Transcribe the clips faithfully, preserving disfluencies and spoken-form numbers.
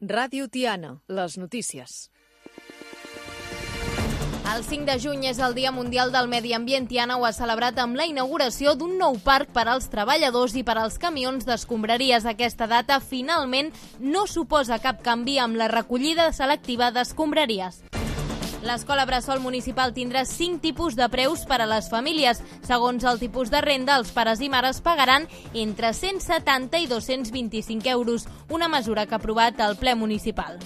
Ràdio Tiana, les notícies. El cinc de juny és el Dia Mundial del Medi Ambient. Tiana ho ha celebrat amb la inauguració d'un nou parc per als treballadors i per als camions d'escombraries. Aquesta data, finalment, no suposa cap canvi amb la recollida selectiva d'escombraries. L'Escola Bressol Municipal tindrà cinc tipus de preus per a les famílies. Segons el tipus de renda, els pares i mares pagaran entre cent setanta i dos-cents vint-i-cinc euros, una mesura que ha aprovat el ple municipal.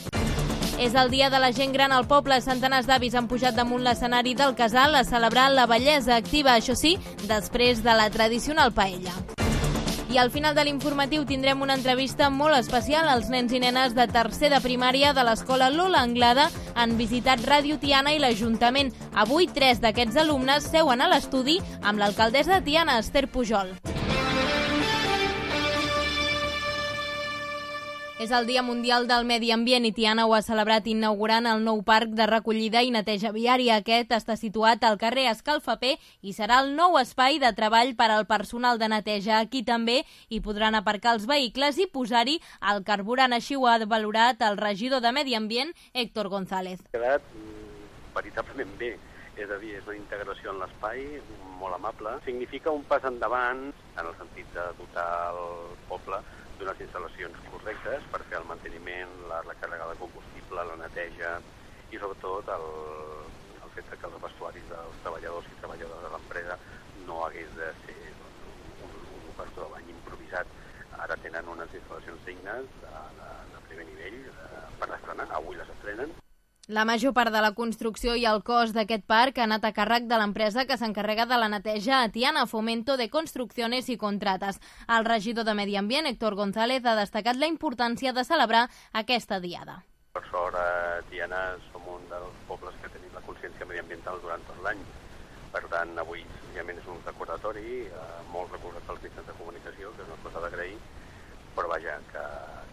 És el dia de la gent gran al poble. Centenars d'avis han pujat damunt l'escenari del casal a celebrar la bellesa activa, això sí, després de la tradicional paella. I al final de l'informatiu tindrem una entrevista molt especial. Els nens i nenes de tercer de primària de l'escola Lola Anglada han visitat Ràdio Tiana i l'Ajuntament. Avui, tres d'aquests alumnes seuen a l'estudi amb l'alcaldessa de Tiana, Esther Pujol. És el Dia Mundial del Medi Ambient i Tiana ho ha celebrat inaugurant el nou parc de recollida i neteja viària. Aquest està situat al carrer Escalfaper i serà el nou espai de treball per al personal de neteja. Aquí també hi podran aparcar els vehicles i posar-hi el carburant. Així ho ha valorat el regidor de Medi Ambient, Héctor González. Ha quedat veritablement bé, és a dir, és una integració en l'espai molt amable. Significa un pas endavant en el sentit de dotar el poble d'unes instal·lacions correctes per fer el manteniment, la recàrrega de combustible, la neteja i sobretot el, el fet que els vestuaris dels treballadors i treballadores de l'empresa no hagués de ser un, un operador de bany improvisat. Ara tenen unes instal·lacions dignes de, de, de primer nivell de, per estrenar, avui les estrenen. La major part de la construcció i el cost d'aquest parc ha anat a càrrec de l'empresa que s'encarrega de la neteja a Tiana, Fomento de Construcciones i Contrates. El regidor de Medi Ambient, Héctor González, ha destacat la importància de celebrar aquesta diada. Per sort, a Tiana som un dels pobles que tenim la consciència mediambiental durant tot l'any. Per tant, avui senzillament és un recordatori, eh, molt recordat pels mitjans de comunicació, que és una cosa d'agrair, però vaja, que,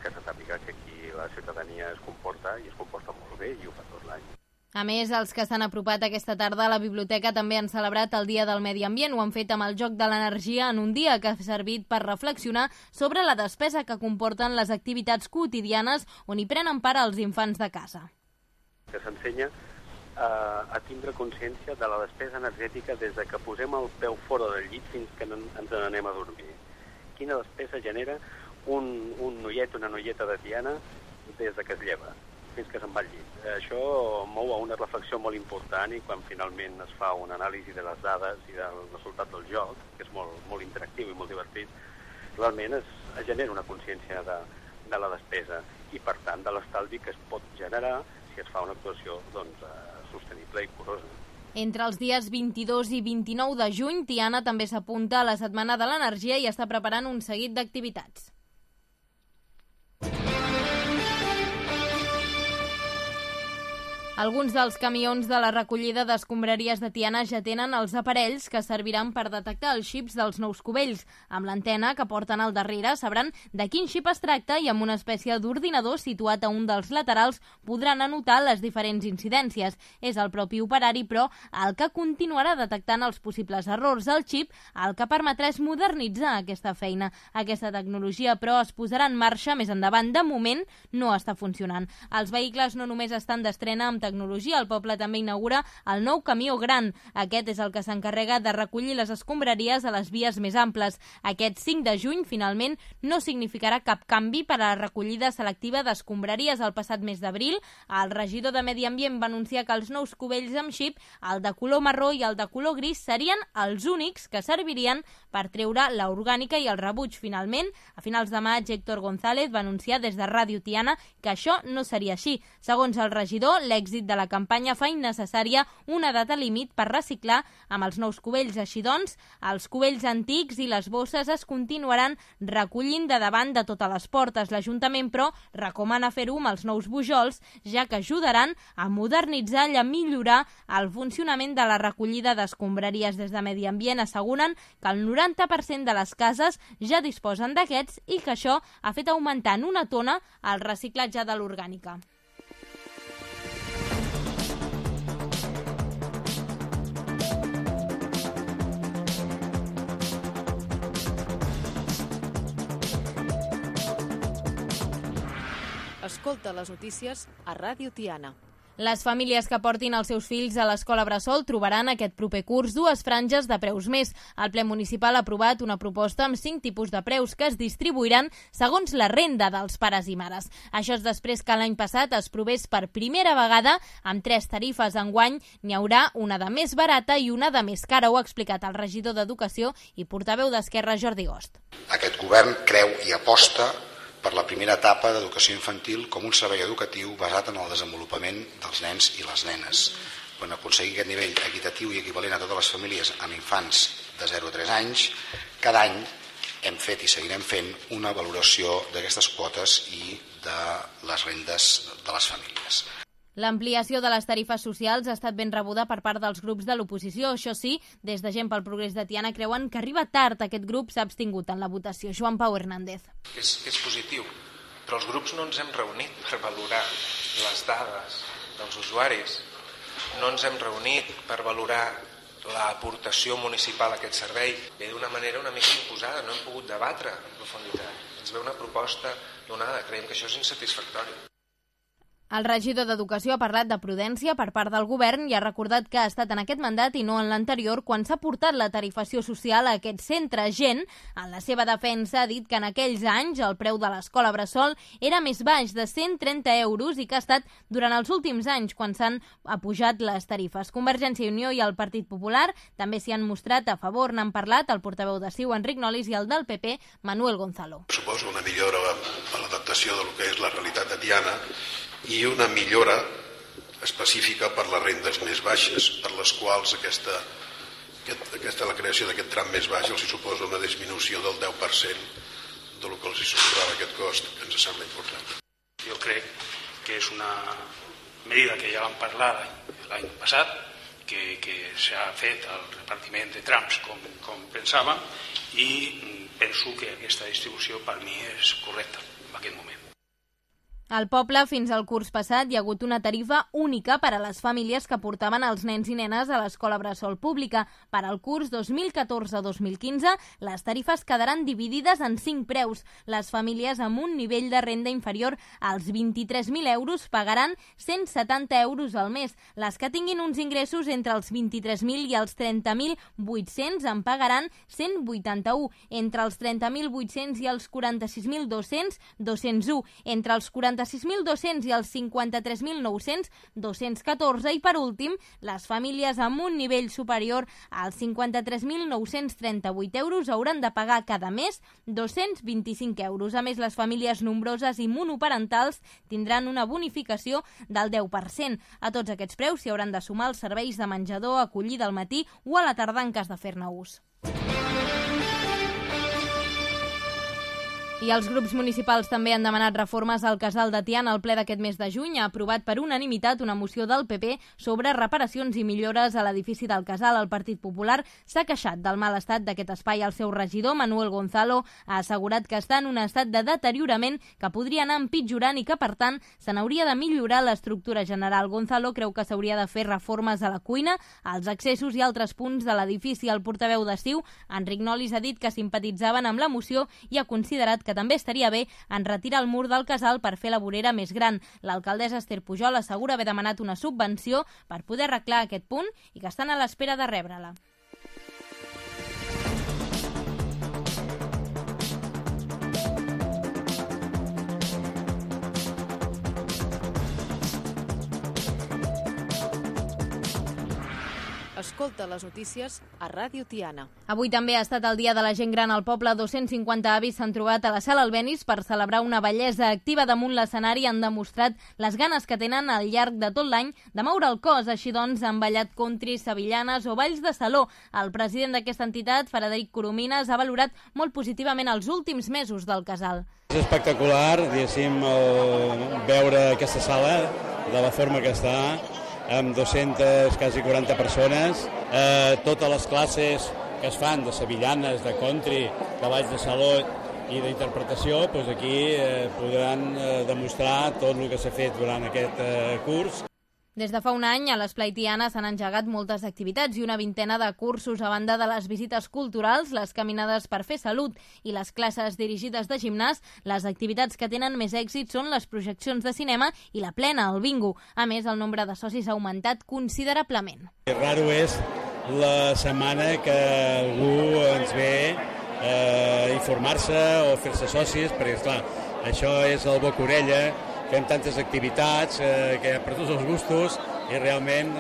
que se sàpiga que aquí la ciutadania es comporta i es comporta molt bé i ho fa tot l'any. A més, els que s'han apropat aquesta tarda a la biblioteca també han celebrat el Dia del Medi Ambient. Ho han fet amb el Joc de l'Energia en un dia que ha servit per reflexionar sobre la despesa que comporten les activitats quotidianes on hi prenen part els infants de casa. Que s'ensenya a, a tindre consciència de la despesa energètica des de que posem el peu fora del llit fins que ens n'anem a dormir. Quina despesa genera un, un noiet, una noieta de Tiana des de que es lleva fins que se'n va al llit. Això mou a una reflexió molt important i quan finalment es fa una anàlisi de les dades i del resultat del joc, que és molt, molt interactiu i molt divertit, realment es, es genera una consciència de, de la despesa i, per tant, de l'estalvi que es pot generar si es fa una actuació doncs, sostenible i curosa. Entre els dies vint-i-dos i vint-i-nou de juny, Tiana també s'apunta a la Setmana de l'Energia i està preparant un seguit d'activitats. Alguns dels camions de la recollida d'escombraries de Tiana ja tenen els aparells que serviran per detectar els xips dels nous cubells. Amb l'antena que porten al darrere sabran de quin xip es tracta i amb una espècie d'ordinador situat a un dels laterals podran anotar les diferents incidències. És el propi operari, però, el que continuarà detectant els possibles errors. El xip el que permetrà és modernitzar aquesta feina. Aquesta tecnologia, però, es posarà en marxa més endavant. De moment, no està funcionant. Els vehicles no només estan d'estrena amb tecnologia, el poble també inaugura el nou camió gran. Aquest és el que s'encarrega de recollir les escombraries a les vies més amples. Aquest cinc de juny, finalment, no significarà cap canvi per a la recollida selectiva d'escombraries. El passat mes d'abril, el regidor de Medi Ambient va anunciar que els nous cubells amb xip, el de color marró i el de color gris, serien els únics que servirien per treure l'orgànica i el rebuig. Finalment, a finals de maig, Héctor González va anunciar des de Ràdio Tiana que això no seria així. Segons el regidor, l'èxit de la campanya fa innecessària una data límit per reciclar amb els nous cubells. Així doncs, els cubells antics i les bosses es continuaran recollint de davant de totes les portes. L'Ajuntament, però, recomana fer-ho amb els nous bujols, ja que ajudaran a modernitzar i a millorar el funcionament de la recollida d'escombraries. Des de Medi Ambient asseguren que el noranta per cent de les cases ja disposen d'aquests i que això ha fet augmentar en una tona el reciclatge de l'orgànica. Escolta les notícies a Ràdio Tiana. Les famílies que portin els seus fills a l'escola bressol trobaran aquest proper curs dues franges de preus més. El ple municipal ha aprovat una proposta amb cinc tipus de preus que es distribuiran segons la renda dels pares i mares. Això és després que l'any passat es provés per primera vegada amb tres tarifes. Enguany n'hi haurà una de més barata i una de més cara. Ho ha explicat el regidor d'Educació i portaveu d'Esquerra, Jordi Gost. Aquest govern creu i aposta per la primera etapa d'educació infantil com un servei educatiu basat en el desenvolupament dels nens i les nenes. Quan aconseguir aquest nivell equitatiu i equivalent a totes les famílies amb infants de zero a tres anys, cada any hem fet i seguirem fent una valoració d'aquestes quotes i de les rendes de les famílies. L'ampliació de les tarifes socials ha estat ben rebuda per part dels grups de l'oposició. Això sí, des de Gent pel Progrés de Tiana creuen que arriba tard. Aquest grup s'ha abstingut en la votació. Joan Pau Hernández. És, és positiu, però els grups no ens hem reunit per valorar les dades dels usuaris. No ens hem reunit per valorar l'aportació municipal a aquest servei. Ve d'una manera una mica imposada, no hem pogut debatre en profunditat. Ens ve una proposta donada, creiem que això és insatisfactori. El regidor d'Educació ha parlat de prudència per part del govern i ha recordat que ha estat en aquest mandat i no en l'anterior quan s'ha portat la tarifació social a aquest centre. Gent, en la seva defensa, ha dit que en aquells anys el preu de l'escola bressol era més baix, de cent trenta euros, i que ha estat durant els últims anys quan s'han apujat les tarifes. Convergència i Unió i el Partit Popular també s'hi han mostrat a favor. N'han parlat el portaveu de C I U, Enric Nolis, i el del P P, Manuel Gonzalo. Suposo una millora a l'adaptació del que és la realitat de Tiana i una millora específica per les rendes més baixes, per les quals aquesta, aquest, aquesta, la creació d'aquest tram més baix els suposa una disminució del deu per cent del que els suposava aquest cost, que ens sembla important. Jo crec que és una medida que ja vam parlar l'any passat, que, que s'ha fet el repartiment de trams com, com pensàvem, i penso que aquesta distribució per mi és correcta en aquest moment. Al poble, fins al curs passat, hi ha hagut una tarifa única per a les famílies que portaven els nens i nenes a l'escola bressol pública. Per al curs dos mil catorze dos mil quinze, les tarifes quedaran dividides en cinc preus. Les famílies amb un nivell de renda inferior als vint-i-tres mil euros pagaran cent setanta euros al mes. Les que tinguin uns ingressos entre els vint-i-tres mil i els trenta mil vuit-cents en pagaran cent vuitanta-u. Entre els trenta mil vuit-cents i els quaranta-sis mil dos-cents, dos-cents u. Entre els quaranta sis mil dos-cents i els cinquanta-tres mil nou-cents, dos-cents catorze, i per últim, les famílies amb un nivell superior als cinquanta-tres mil nou-cents trenta-vuit euros hauran de pagar cada mes dos-cents vint-i-cinc euros. A més, les famílies nombroses i monoparentals tindran una bonificació del deu per cent. A tots aquests preus s'hi hauran de sumar els serveis de menjador, acollida al matí o a la tarda en cas de fer-ne ús. I els grups municipals també han demanat reformes al casal de Tiana. El ple d'aquest mes de juny ha aprovat per unanimitat una moció del P P sobre reparacions i millores a l'edifici del casal. El Partit Popular s'ha queixat del mal estat d'aquest espai. El seu regidor, Manuel Gonzalo, ha assegurat que està en un estat de deteriorament que podria anar empitjorant i que, per tant, se n'hauria de millorar l'estructura general. Gonzalo creu que s'hauria de fer reformes a la cuina, als accessos i altres punts de l'edifici. El portaveu de C I U, Enric Nolis, ha dit que simpatitzaven amb la moció i ha considerat que que també estaria bé en retirar el mur del casal per fer la vorera més gran. L'alcaldessa Esther Pujol assegura haver demanat una subvenció per poder arreglar aquest punt i que estan a l'espera de rebre-la. Escolta les notícies a Ràdio Tiana. Avui també ha estat el Dia de la Gent Gran al poble. dos-cents cinquanta avis s'han trobat a la Sala Albéniz per celebrar una bellesa activa damunt l'escenari. Han demostrat les ganes que tenen al llarg de tot l'any de moure el cos. Així doncs, han ballat country, sevillanes o balls de saló. El president d'aquesta entitat, Frederic Coromines, ha valorat molt positivament els últims mesos del casal. És espectacular, diguéssim, veure aquesta sala de la forma que està, amb dues-centes, quasi quaranta persones, eh, totes les classes que es fan de sevillanes, de country, de balls de saló i d'interpretació, doncs aquí eh, podran eh, demostrar tot el que s'ha fet durant aquest eh, curs. Des de fa un any, a l'Esplai Tiana s'han engegat moltes activitats i una vintena de cursos a banda de les visites culturals, les caminades per fer salut i les classes dirigides de gimnàs. Les activitats que tenen més èxit són les projeccions de cinema i la plena, el bingo. A més, el nombre de socis ha augmentat considerablement. El raro és la setmana que algú ens ve a informar-se o fer-se socis, perquè, esclar, això és el boca-orella. Fem tantes activitats eh, que per tots els gustos i realment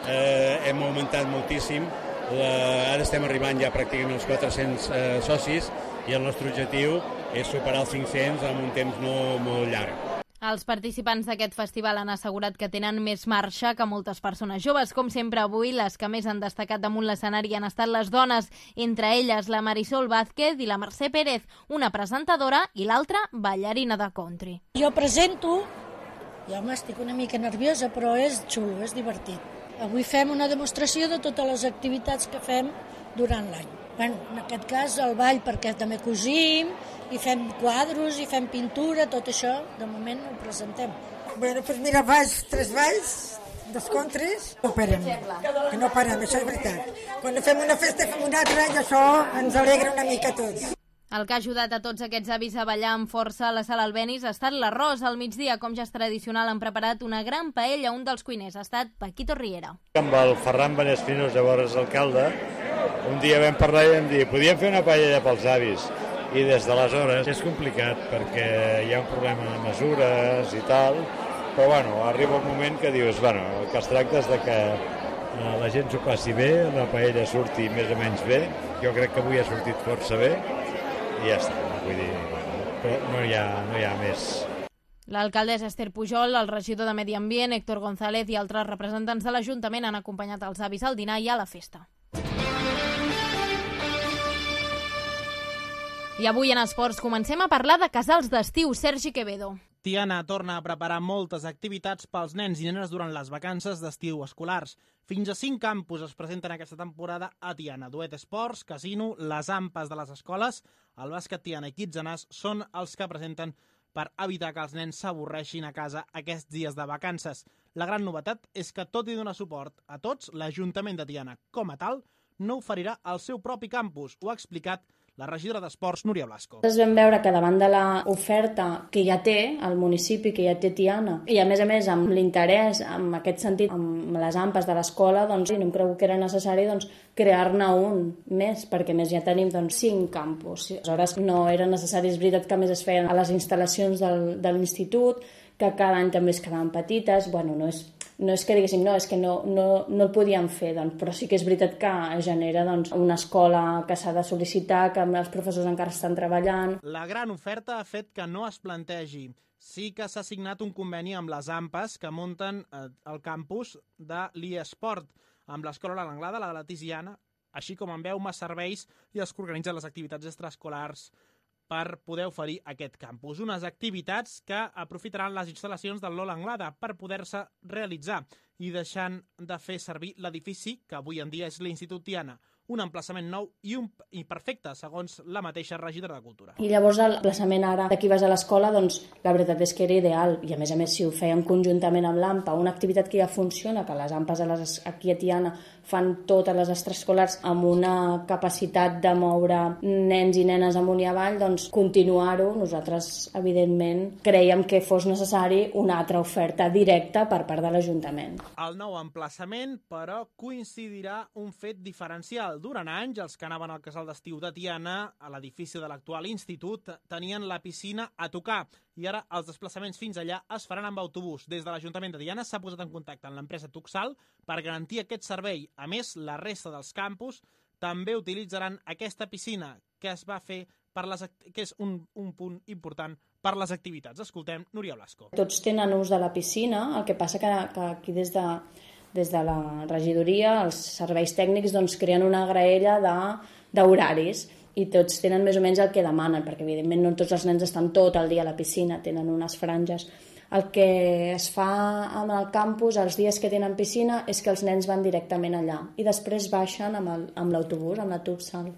eh, hem augmentat moltíssim. La, ara estem arribant ja pràcticament als quatre-cents eh, socis i el nostre objectiu és superar els cinc-cents en un temps no molt llarg. Els participants d'aquest festival han assegurat que tenen més marxa que moltes persones joves. Com sempre, avui les que més han destacat damunt l'escenari han estat les dones, entre elles la Marisol Vázquez i la Mercè Pérez, una presentadora i l'altra ballarina de country. Jo presento, i home, estic una mica nerviosa, però és xulo, és divertit. Avui fem una demostració de totes les activitats que fem durant l'any. Bueno, en aquest cas el ball perquè també cosim i fem quadros i fem pintura, tot això de moment ho presentem. Bueno, pues mira, balls, tres balls, dos contres, no parem, que no parem, això és veritat. Quan fem una festa fem una altra i això ens alegra una mica a tots. El que ha ajudat a tots aquests avis a ballar amb força a la sala Albéniz ha estat l'arròs. Al migdia, com ja és tradicional, han preparat una gran paella. Un dels cuiners ha estat Paquito Riera. Amb el Ferran Benespinos, llavors alcalde, un dia vam parlar i vam dir podíem fer una paella pels avis. I des d'aleshores és complicat perquè hi ha un problema de mesures i tal, però bueno, arriba un moment que dius, bueno, el que es tracta és de que la gent s'ho passi bé, la paella surti més o menys bé. Jo crec que avui ha sortit força bé i ja està, vull dir, però no hi ha, no hi ha més. L'alcaldessa Esther Pujol, el regidor de Medi Ambient, Héctor González i altres representants de l'Ajuntament han acompanyat els avis al dinar i a la festa. I avui en esports comencem a parlar de casals d'estiu. Sergi Quevedo. Tiana torna a preparar moltes activitats pels nens i nenes durant les vacances d'estiu escolars. Fins a cinc campus es presenten aquesta temporada a Tiana. Duet Esports, Casino, les ampes de les escoles, el bàsquet Tiana i Kitzenàs són els que presenten per evitar que els nens s'avorreixin a casa aquests dies de vacances. La gran novetat és que, tot i donar suport a tots, l'Ajuntament de Tiana, com a tal, no oferirà el seu propi campus. Ho ha explicat la regidora d'Esports, Núria Blasco. Nosaltres vam veure que davant de l'oferta que ja té el municipi, que ja té Tiana, i a més a més amb l'interès, en aquest sentit, amb les ampes de l'escola, doncs no em creu que era necessari doncs, crear-ne un més, perquè més ja tenim doncs, cinc campus. Aleshores no era necessari, és veritat que més es feien a les instal·lacions del, de l'institut, que cada any també es quedaven petites, bueno, no és, no és que diguéssim, no, és que no, no, no el podíem fer, doncs, però sí que és veritat que genera doncs, una escola que s'ha de sol·licitar, que els professors encara estan treballant. La gran oferta ha fet que no es plantegi. Sí que s'ha signat un conveni amb les ampes que munten eh, el campus de l'eSport, amb l'Escola L'Anglada, la de la Tiziana, així com amb Euma Serveis i els que organitzen les activitats extraescolars per poder oferir aquest campus. Unes activitats que aprofitaran les instal·lacions del Lola Anglada per poder-se realitzar i deixant de fer servir l'edifici que avui en dia és l'Institut Tiana. Un emplaçament nou i, un, i perfecte, segons la mateixa regidora de Cultura. I llavors l'emplaçament ara d'aquí vas a l'escola, doncs la veritat és que era ideal. I a més a més, si ho fèiem conjuntament amb l'AMPA, una activitat que ja funciona, que les AMPAs a les, aquí a Tiana fan totes les extraescolars amb una capacitat de moure nens i nenes amunt i avall, doncs continuar-ho. Nosaltres, evidentment, creiem que fos necessari una altra oferta directa per part de l'Ajuntament. El nou emplaçament, però, coincidirà un fet diferencial. Durant anys, els que anaven al casal d'estiu de Tiana, a l'edifici de l'actual institut, tenien la piscina a tocar i ara els desplaçaments fins allà es faran amb autobús. Des de l'Ajuntament de Tiana s'ha posat en contacte amb l'empresa Tuxal per garantir aquest servei. A més, la resta dels campus també utilitzaran aquesta piscina que es va fer per les que és un, un punt important per les activitats. Escoltem Núria Blasco. Tots tenen ús de la piscina, el que passa que, que aquí des de des de la regidoria, els serveis tècnics doncs, creen una graella d'horaris i tots tenen més o menys el que demanen, perquè evidentment no tots els nens estan tot el dia a la piscina, tenen unes franges. El que es fa amb el campus, els dies que tenen piscina, és que els nens van directament allà i després baixen amb l'autobús, amb la Tuxal,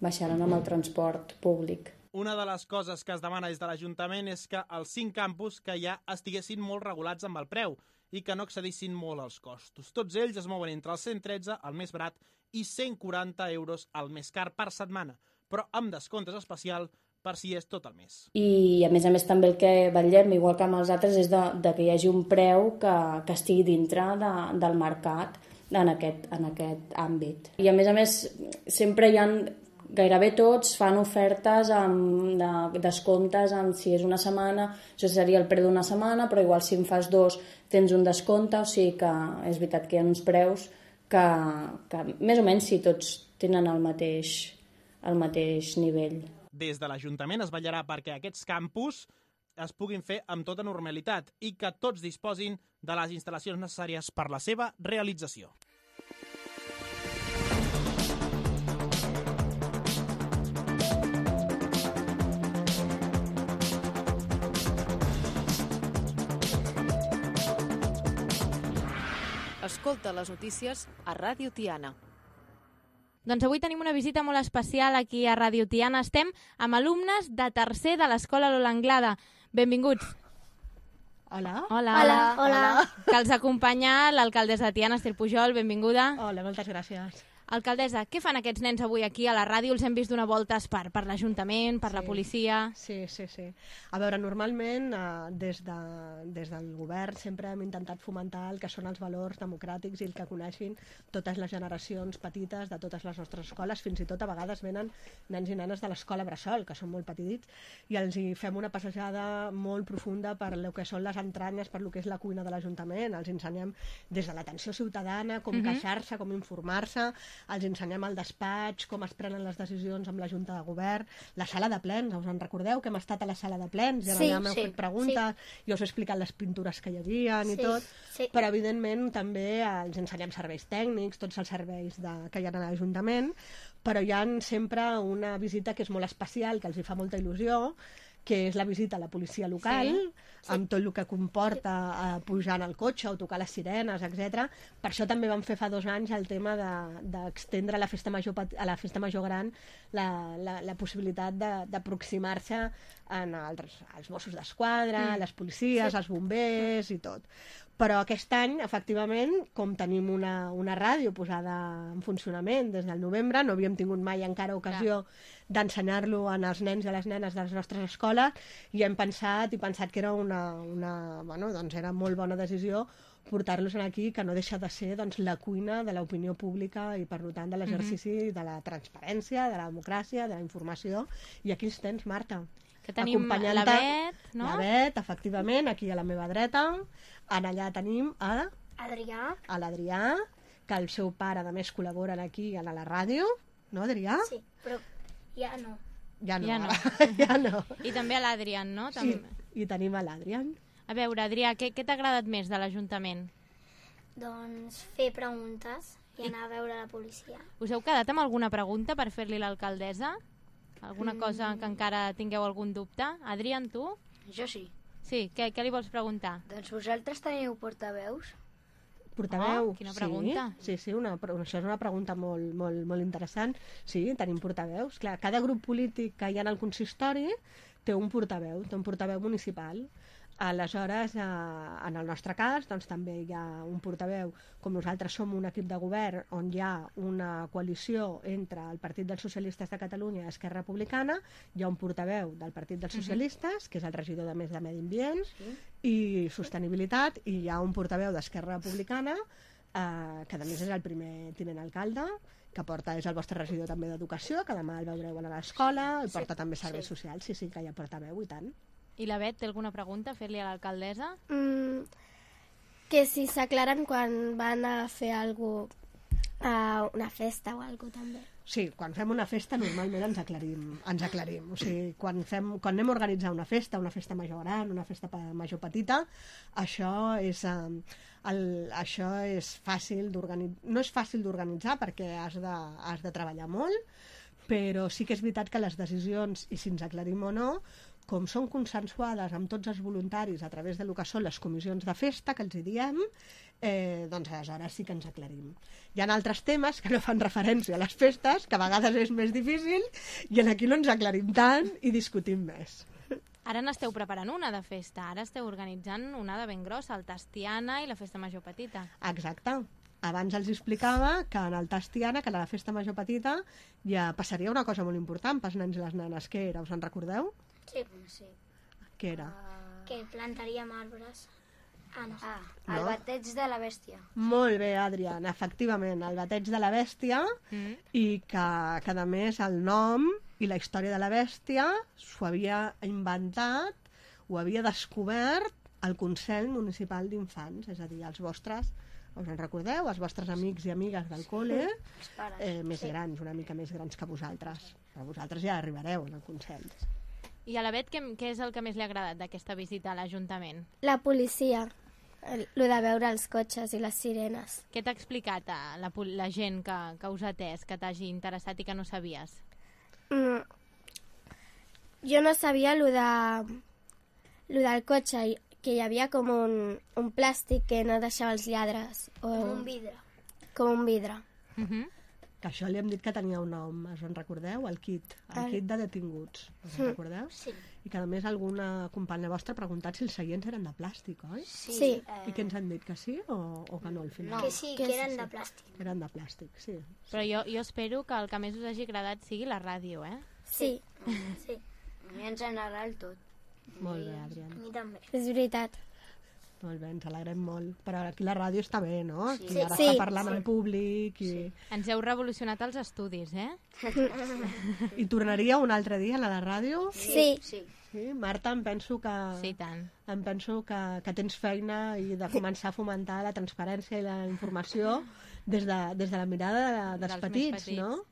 baixaran amb el transport públic. una de les coses que es demana des de l'Ajuntament és que els cinc campus que hi ha estiguessin molt regulats amb el preu i que no excedissin molt els costos. Tots ells es mouen entre els cent tretze, el més barat, i cent quaranta euros, el més car per setmana, però amb descomptes especial per si és tot el mes. I a més a més també el que vetllem, igual que amb els altres, és de, de que hi hagi un preu que, que estigui dintre de, del mercat en aquest, en aquest àmbit. I a més a més sempre hi ha, gairebé tots fan ofertes amb de, descomptes amb si és una setmana, això seria el preu d'una setmana, però igual si en fas dos tens un descompte, o sigui que és veritat que hi ha uns preus que, que més o menys si tots tenen el mateix, el mateix nivell. Des de l'Ajuntament es vetllarà perquè aquests campus es puguin fer amb tota normalitat i que tots disposin de les instal·lacions necessàries per la seva realització. Escolta les notícies a Ràdio Tiana. Doncs avui tenim una visita molt especial aquí a Ràdio Tiana. Estem amb alumnes de tercer de l'Escola Lola Anglada. Benvinguts. Hola. Hola. Hola. Hola. Que els acompanya l'alcaldessa de Tiana, Estel Pujol. Benvinguda. Hola, moltes gràcies. Alcaldessa, què fan aquests nens avui aquí a la ràdio? Els hem vist donar voltes per, per l'Ajuntament, per sí. la policia... Sí, sí, sí. A veure, normalment eh, des, de, des del govern sempre hem intentat fomentar el que són els valors democràtics i el que coneixin totes les generacions petites de totes les nostres escoles. Fins i tot a vegades venen nens i nenes de l'escola Bressol, que són molt petits, i els hi fem una passejada molt profunda per el que són les entranyes, per el que és la cuina de l'Ajuntament. Els ensenyem des de l'atenció ciutadana, com Mhm. queixar-se, com informar-se, els ensenyem al despatx, com es prenen les decisions amb la Junta de Govern, la sala de plens, us en recordeu que hem estat a la sala de plens, i Sí, allà m'heu sí, fet preguntes, sí. i us he explicat les pintures que hi havia i Sí, tot, sí. però evidentment també els ensenyem serveis tècnics, tots els serveis de, que hi ha a l'Ajuntament, però hi ha sempre una visita que és molt especial, que els hi fa molta il·lusió, que és la visita a la policia local, Sí, sí. amb tot el que comporta eh, pujar en el cotxe o tocar les sirenes, etcètera. Per això també vam fer fa dos anys el tema d'extendre de, a la festa major pet- a la festa major gran la, la, la possibilitat de- d'aproximar-se en els, als Mossos d'Esquadra, Mm. les policies, Sí. els bombers i tot. Però aquest any, efectivament, com tenim una, una ràdio posada en funcionament des del novembre, no havíem tingut mai encara ocasió d'ensenyar-lo als nens i a les nenes de les nostres escoles, i hem pensat i pensat que era una, una, bueno, doncs era molt bona decisió portar-los aquí, que no deixa de ser doncs, la cuina de l'opinió pública i, per tant, de l'exercici de la transparència, de la democràcia, de la informació. I aquí els tens, Marta. Que tenim Acompanyant-te- la Bet, no? La Bet, efectivament, aquí a la meva dreta. En allà tenim a, Adrià. a l'Adrià, que el seu pare, a més, col·laboren aquí a la ràdio. No, Adrià? Sí, però ja no. Ja no. Ja no. ja no. I també a l'Adrián, no? Sí, També. i tenim a l'Adrián. A veure, Adrià, què, què t'ha agradat més de l'Ajuntament? Doncs fer preguntes i anar a veure la policia. Us heu quedat amb alguna pregunta per fer-li a l'alcaldessa? Alguna Mm. cosa que encara tingueu algun dubte? Adrián, tu? Jo sí. Sí, què, què li vols preguntar? Doncs vosaltres teniu portaveus? Portaveu? Oh, quina pregunta. Sí, sí, sí una, però això és una pregunta molt, molt, molt interessant. Sí, tenim portaveus. Clar, cada grup polític que hi ha en el consistori té un portaveu, té un portaveu municipal. Aleshores, eh, en el nostre cas, doncs, també hi ha un portaveu, com nosaltres som un equip de govern on hi ha una coalició entre el Partit dels Socialistes de Catalunya i Esquerra Republicana, hi ha un portaveu del Partit dels Socialistes, que és el regidor de Més de Medi Ambient i Sostenibilitat, i hi ha un portaveu d'Esquerra Republicana, eh, que a més és el primer tinent alcalde, que porta, és el vostre regidor també d'Educació, que demà el veureu a l'escola, i Sí, porta també serveis sí. socials, sí, sí, que hi ha portaveu, i tant. I la Bet té alguna pregunta a fer-li a l'alcaldessa? Mm, que si s'aclaren quan van a fer algú a una festa o alguna també. Sí, quan fem una festa normalment ens aclarim, ens aclarim. O sigui, quan, fem, quan anem a organitzar una festa, una festa major gran, una festa pe- major petita, això és, eh, el, això és fàcil d'organitzar. No és fàcil d'organitzar perquè has de, has de treballar molt, però sí que és veritat que les decisions, i si ens aclarim o no, com són consensuades amb tots els voluntaris a través de lo que són les comissions de festa, que els hi diem, eh, doncs aleshores sí que ens aclarim. Hi ha altres temes que no fan referència a les festes, que a vegades és més difícil, i aquí no ens aclarim tant i discutim més. Ara n'esteu preparant una de festa, ara esteu organitzant una de ben grossa, el Tastiana i la Festa Major Petita. Exacte. Abans els explicava que en el Tastiana, que a la Festa Major Petita, ja passaria una cosa molt important pels nens i les nenes. Què era? Us en recordeu? Sí, sí. Què era? Uh, que plantaríem arbres. Ah, no sé. Ah, no? El bateig de la bèstia. Molt bé, Adrián, efectivament, el bateig de la bèstia, mm. i que, que a més el nom i la història de la bèstia s'ho havia inventat, ho havia descobert el Consell Municipal d'Infants, és a dir, els vostres, us en recordeu, els vostres amics i amigues del col·le, eh, més sí. grans, una mica més grans que vosaltres. Però vosaltres ja arribareu en el Consell. I a la Bet, què, què és el que més li ha agradat d'aquesta visita a l'Ajuntament? La policia, el, lo de veure els cotxes i les sirenes. Què t'ha explicat a la, la gent que, que us ha atès, que t'hagi interessat i que no sabies? Mm. Jo no sabia lo, de, lo del cotxe, que hi havia com un, un plàstic que no deixava els lladres. O... Com un vidre. Com un vidre. Uh -huh. Que això li hem dit que tenia un nom, us en recordeu? El kit, el, el... kit de detinguts, us en recordeu? Sí. I que a més alguna companya vostra ha preguntat si els seients eren de plàstic, oi? Sí. sí. Eh... I què ens han dit, que sí o, o que no al final? No, que sí, que, que eren sí. de plàstic. Que eren de plàstic, sí. Però jo, jo espero que el que més us hagi agradat sigui la ràdio, eh? Sí. Sí. A mi ens agrada el tot. Molt bé, Adrián. A mi també. És veritat. Molt bé, ens alegrem molt. Però aquí la ràdio està bé, no? Sí. Aquí ara sí. està parlant sí. al públic. I... Sí. Ens heu revolucionat els estudis, eh? I tornaria un altre dia a la ràdio? Sí. Sí. Sí, Marta, em penso que... Sí, tant. Em penso que, que tens feina i de començar a fomentar la transparència i la informació des de, des de la mirada de, dels, dels petits, petits, no?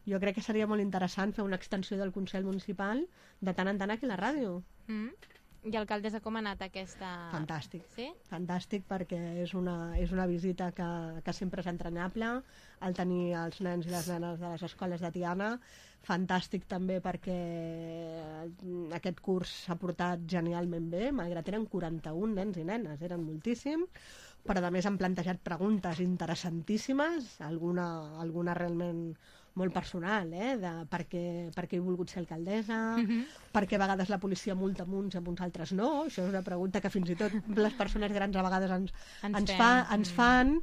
Jo crec que seria molt interessant fer una extensió del Consell Municipal de tant en tant aquí a la ràdio. Mm. I alcaldessa, com ha anat aquesta... Fantàstic. Sí? Fantàstic, perquè és una, és una visita que, que sempre és entranyable, el tenir els nens i les nenes de les escoles de Tiana. Fantàstic també perquè aquest curs s'ha portat genialment bé, malgrat eren quaranta-un nens i nenes, eren moltíssims, però a més han plantejat preguntes interessantíssimes, alguna, alguna realment molt personal, eh? De per què, per què he volgut ser alcaldessa, uh-huh. per què a vegades la policia multa amb uns i amb uns altres no, això és una pregunta que fins i tot les persones grans a vegades ens, ens, ens, fa, ens fan,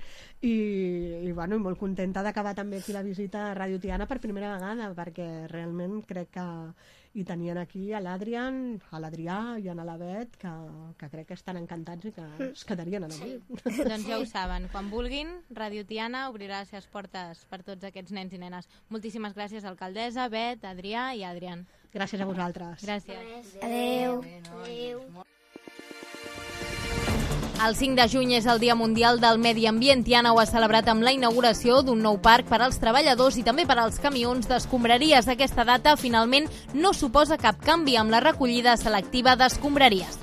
i, i, bueno, i molt contenta d'acabar també aquí la visita a Ràdio Tiana per primera vegada, perquè realment crec que hi tenien aquí a l'Adrián, a l'Adrià i a la Bet, que, que crec que estan encantats i que es quedarien a la sí. Doncs ja ho saben, quan vulguin, Ràdio Tiana obrirà les seves portes per tots aquests nens i nenes. Moltíssimes gràcies, alcaldessa, Bet, Adrià i Adrián. Gràcies a vosaltres. Gràcies. Adéu. Adéu. El cinc de juny és el Dia Mundial del Medi Ambient. Tiana ho ha celebrat amb la inauguració d'un nou parc per als treballadors i també per als camions d'escombraries. Aquesta data finalment no suposa cap canvi amb la recollida selectiva d'escombraries.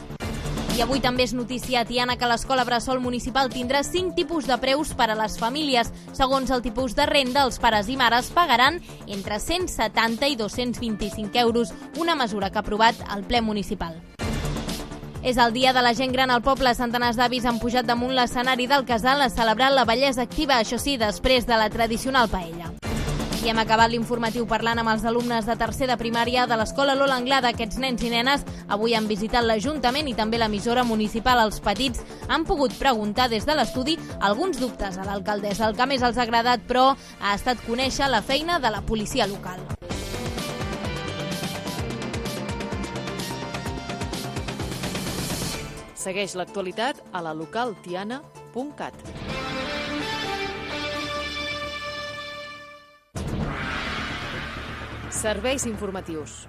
I avui també és notícia a Tiana que l'Escola Bressol Municipal tindrà cinc tipus de preus per a les famílies. Segons el tipus de renda, els pares i mares pagaran entre cent setanta i dos-cents vint-i-cinc euros, una mesura que ha aprovat el ple municipal. És el dia de la gent gran al poble. Centenars d'avis han pujat damunt l'escenari del casal a celebrar la bellesa activa, això sí, després de la tradicional paella. I hem acabat l'informatiu parlant amb els alumnes de tercer de primària de l'Escola Lola Anglada. Aquests nens i nenes avui han visitat l'Ajuntament i també l'emissora municipal. Els petits han pogut preguntar des de l'estudi alguns dubtes a l'alcaldessa. El que més els ha agradat, però, ha estat conèixer la feina de la policia local. Segueix l'actualitat a la local tiana punt cat. Serveis informatius.